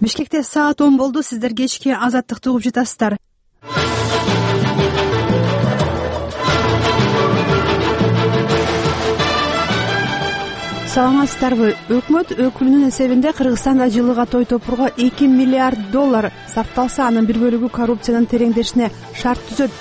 Бишкекте саат 10 болду. Сиздер кечки Азаттыкты угуп жатасыздар. Саламатсыздарбы? Өкмөт өкүлүнүн эсебинде Кыргызстанда жылыга той топурго $2 миллиард сарпталса, анын бир бөлүгү коррупциянын тереңдешине шарт түзөт.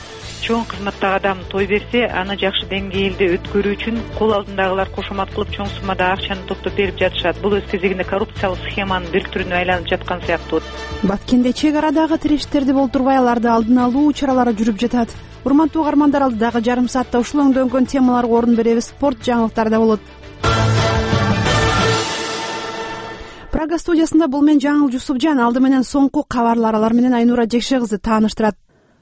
Чоң кызматтагы адам той берсе, аны жакшы деңгээлде өткөрүү үчүн кол алдындагылар кошомат кылып чоң суммада акчаны топтоп берип жатышат. Бул өз кезегинде коррупциялык схеманын бир түрүнө айланып жаткан сыяктуу. Баткенде чек арадагы тирештерди болтурбай, аларды алдын алуу чаралары жүрүп жатат. Урматтуу угармандар, алдыдагы жарым саатта ушул өңдөнгөн темаларга орун беребиз. Спорт жаңылыктары да болот. Прага студиясында бул мен Жаңыл Жусупжан. Алды менен соңку кабарлар, алар менен Айнура Жекше кызы тааныштырат.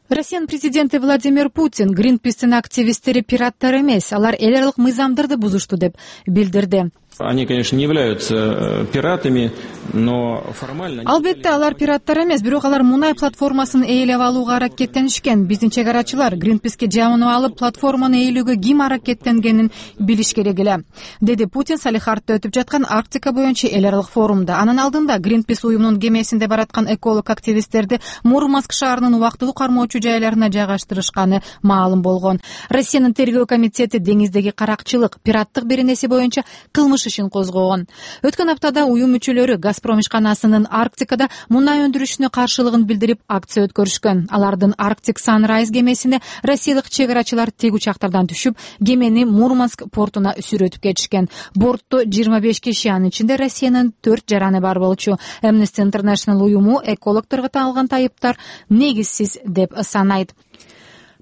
Россиянын президенти Владимир Путин Greenpeace'тин активисттери пираттар эмес, алар эл аралык мыйзамдарды бузушту деп билдирди. Они, конечно, не являются пиратами, но формально... Албетте, алар пираттар эмес, бирок алар мунай платформасын ээлеп алууга аракеттенишкен. Биздин чек арачылар Greenpeace'ке жабынып алып, платформаны ээлөөгө ким аракеттенгенин билиш керек эле, деди Путин Салихардта өтүп жаткан Арктика боюнча эл аралык форумда. Анын алдында Greenpeace уюмунун кемесинде бараткан эколог активисттерди Мурманск шаарынын убактылуу кармоочу жайларына жайгаштырышканы маалым болгон. Россиянын тергөө комитети деңиздеги каракчылык, пираттык беренеси боюнча кылмыш ишин козгогон. Өткөн аптада уюм мүчөлөрү Газпром ишканасынын Арктикада мунай өндүрүшүнө каршылыгын билдирип акция өткөрүшкөн. Алардын Arctic Sunrise кемесине россиялык чек арачылар тег учактардан түшүп, кемени Мурманск портуна сүрөтүп кетишкен. Бортто 25 киши, анын ичинде Россиянын 4 жараны бар болчу. Amnesty International уюму экологторго таанылган тайыптар негизсиз деп санайт.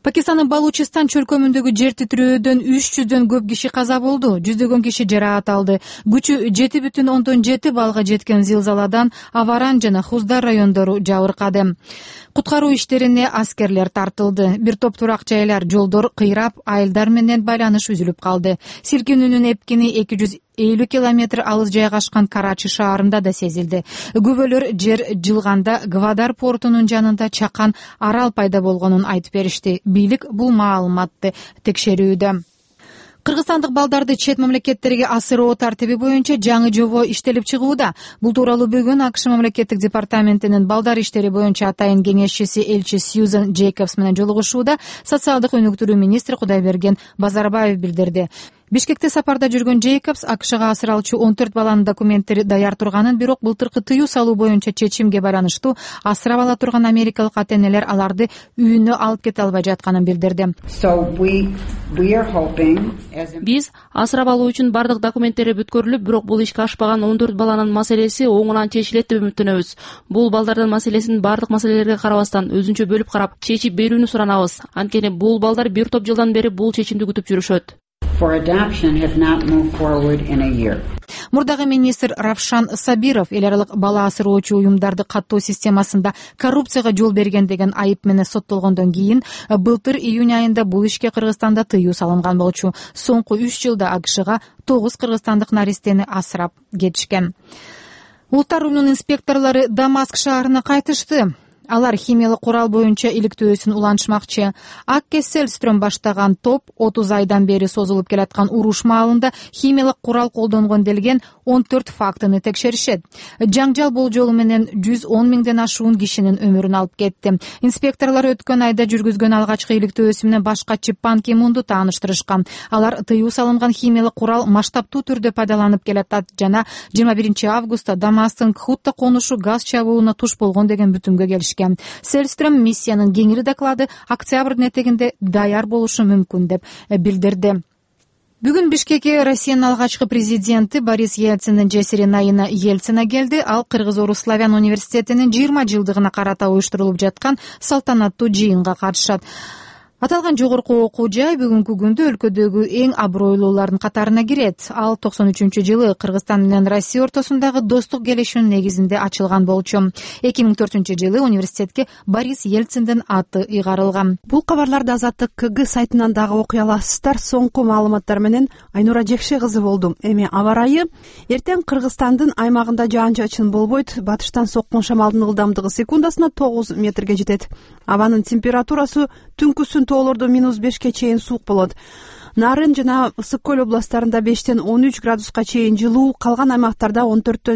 Пакистандын Балучистан чөлкөмүндөгү жер титирөөдөн 300дөн көп киши каза болду, жүздөгөн киши жараат алды. Күчү 7,7 балга жеткен зилзаладан Аваран жана Хуздар райондору жабыркады. Куткаруу иштерине аскерлер тартылды. Бир топ турак жайлар, жолдор кыйрап, айылдар менен байланыш үзүлүп калды. Силкинүүнүн эпкини 250 километр алыс жайгашкан Карачи шаарында да сезилди. Күбөлөр жер жылганда Гвадар портунун жанында чакан арал пайда болгонун айтып беришти. Бийлик бул маалыматты текшерүүдө. Кыргызстандык балдарды чет мамлекеттерге асыроо тартиби боюнча жаңы жобо иштелип чыгууда. Бул тууралуу бүгүн АКШ мамлекеттик департаментинин балдар иштери боюнча атайын кеңешчиси элчи Сьюзан Джейкобс менен жолугушууда социалдык өнүктүрүү министри Кудайберген Базарбаев билдирди. Бишкекте сапарда жүргөн Джейкобс АКШга асыралчу 14 баланын документтери даяр турганын, бирок былтыркы тыюу салуу боюнча чечимге байланыштуу асырап ала турган америкалык ата-энелер аларды үйүнө алып кете албай жатканын билдирди. Биз асырап алуу үчүн бардык документтери бүткөрүлүп, бирок бул ишке ашпаган 14 баланын маселеси оңунан чечилет деп үмүттөнөбүз. Бул балдардын маселесин бардык маселелерге карабастан өзүнчө бөлүп карап чечип берүүнү суранабыз. Анткени бул балдар бир топ жылдан бери бул чечимди күтүп жүрүшөт. Мурдагы министр Равшан Сабиров эл аралык бала асыроочу уюмдарды каттоо системасында коррупцияга жол берген деген айып менен соттолгондон кийин былтыр июнь айында бул ишке Кыргызстанда тыюу салынган болчу. Соңку 3 жылда АКШга 9 кыргызстандык наристени асырап кетишкен. Улуттар уюмунун инспекторлору Дамаск шаарына кайтышты. Алар химиялык курал боюнча иликтөөсүн улантышмакчы. Акке Селстрöm баштаган топ 30 айдан бери созулуп келаткан уруш маалында химиялык курал колдонгон делген 14 фактыны текшеришет. Жаңжал болжолу менен 110 миңден ашуун кишинин өмүрүн алып кетти. Инспекторлор өткөн айда жүргүзгөн алгачкы иликтөөсү менен башкачы Пан Ки Мунду тааныштырышкан. Алар тыюу салынган химиялык курал масштабтуу түрдө пайдаланып келатат жана 21 августта Дамасктын Кхутта конушу газ чабууна туш болгон деген бүтүмгө келишкен. Селстрöm миссиянын кеңири доклады октябрдын этегинде даяр болушу мүмкүн деп билдирди. Бүгүн Бишкекке Россиянын алгачкы президенти Борис Ельциндин жесири Наина Ельцина келди. Ал Кыргыз-Орус славян университетинин 20 жылдыгына карата уюштурулуп жаткан салтанаттуу жыйынга катышат. Аталган жогорку окуу жай бүгүнкү күндө өлкөдөгү эң абройлуулардын катарына кирет. Ал 93-жылы Кыргызстан менен Россия ортосундагы достук келишүүнүн негизинде ачылган болчу. 2004-жылы университетке Борис Ельциндин аты ыйгарылган. Бул кабарларды Азаттык КГ сайтынан дагы окуй аласыздар. Соңку маалыматтар менен Айнура Жекше кызы болду. Эми аба ырайы. Эртең Кыргызстандын аймагында жаан-чачын болбойт. Батыштан соккон шамалдын ылдамдыгы секундасына 9 метрге жетет. Абанын температурасы түнкүсүн тоолордо -5ке чейин суук болот. Нарын жана Ысык көл областарында 5-13 градуска чейин жылуу, калган аймактарда 14